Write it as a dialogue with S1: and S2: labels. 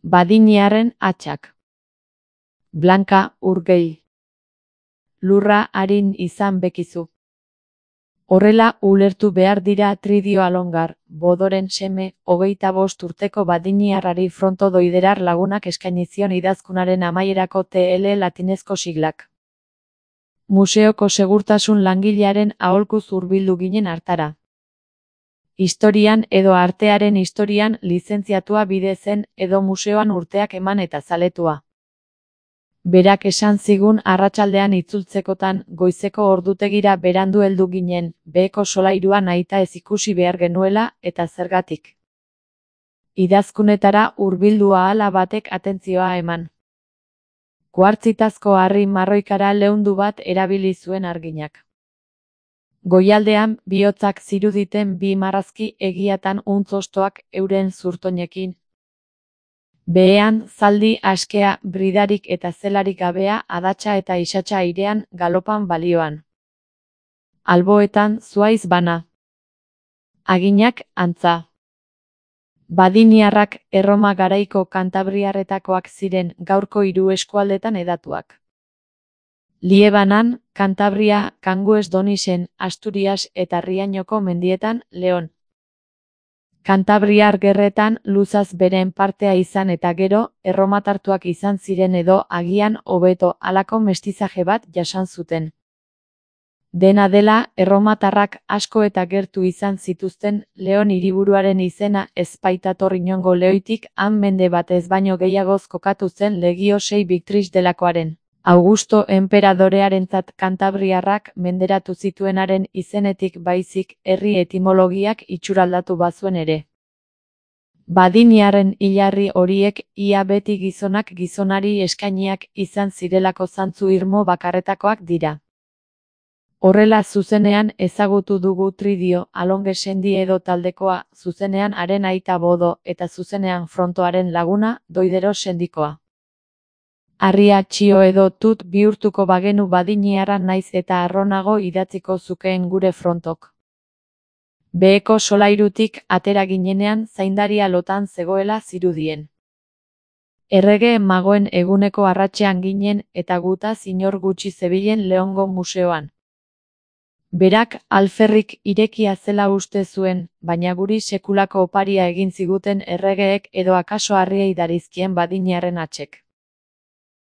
S1: Badiniarren atxak. Blanka Urgell. Lurra arin izan bekizu. Horrela ulertu behar dira Tridio Alongar, Bodoren seme, 25 urteko badiniarrari fronto doiderar lagunak eskaini zion idazkunaren amaierako TL latinezko siglak. Museoko segurtasun langilearen aholkuz hurbildu ginen hartara. Historian edo artearen historian lizentziatua bide zen edo museoan urteak eman eta zaletua. Berak esan zigun arratsaldean itzultzekotan goizeko ordutegira berandu heldu ginen, beheko solairua nahita ez ikusi behar genuela eta zergatik. Idazkunetara hurbildu ahala batek atentzioa eman. Kuartzitazko harri marroikara leundu bat erabili zuen arginak. Goialdean bihotzak ziruditen bi marrazki egiatan untzostoak euren zurtoinekin. Behean zaldi askea, bridarik eta zelarik gabea, adatsa eta isatsa airean, galopan balioan. Alboetan zuaiz bana. Aginak antza. Badiniarrak Erroma garaiko kantabriarretakoak ziren, gaurko 3 eskualdetan hedatuak. Liebanan, Kantabria, Kangues Donisen, Asturias eta Riañoko mendietan, Leon. Kantabriar gerretan luzaz beren partea izan eta gero, erromatartuak izan ziren edo agian hobeto halako mestizaje bat jasan zuten. Dena dela, erromatarrak asko eta gertu izan zituzten, Leon hiriburuaren izena ez baitator inongo Leoitik, han mende batez baino gehiagoz kokatu zen Legio 6 Victris delakoaren. Augusto enperadorearentzat kantabriarrak menderatu zituenaren izenetik baizik herri etimologiak itxuraldatu bazuen ere. Badiniarren hilarri horiek ia beti gizonak gizonari eskainiak izan zirelako zantzu irmo bakarretakoak dira. Horrela zuzenean ezagutu dugu Tridio Alongesendi edo taldekoa, zuzenean haren aita Bodo eta zuzenean frontoaren laguna Doidero sendikoa. Harria txio edo tut bihurtuko bagenu badiniarra naiz eta arronago idatziko zukeen gure frontok. Beheko solairutik atera ginenean zaindaria lotan zegoela zirudien. Errege magoen eguneko arratsean ginen eta gutaz inor gutxi zebilen Leongo museoan. Berak alferrik irekia zela uste zuen, baina guri sekulako oparia egin ziguten erregeek edo akaso harriei darizkien badiniarren atxek.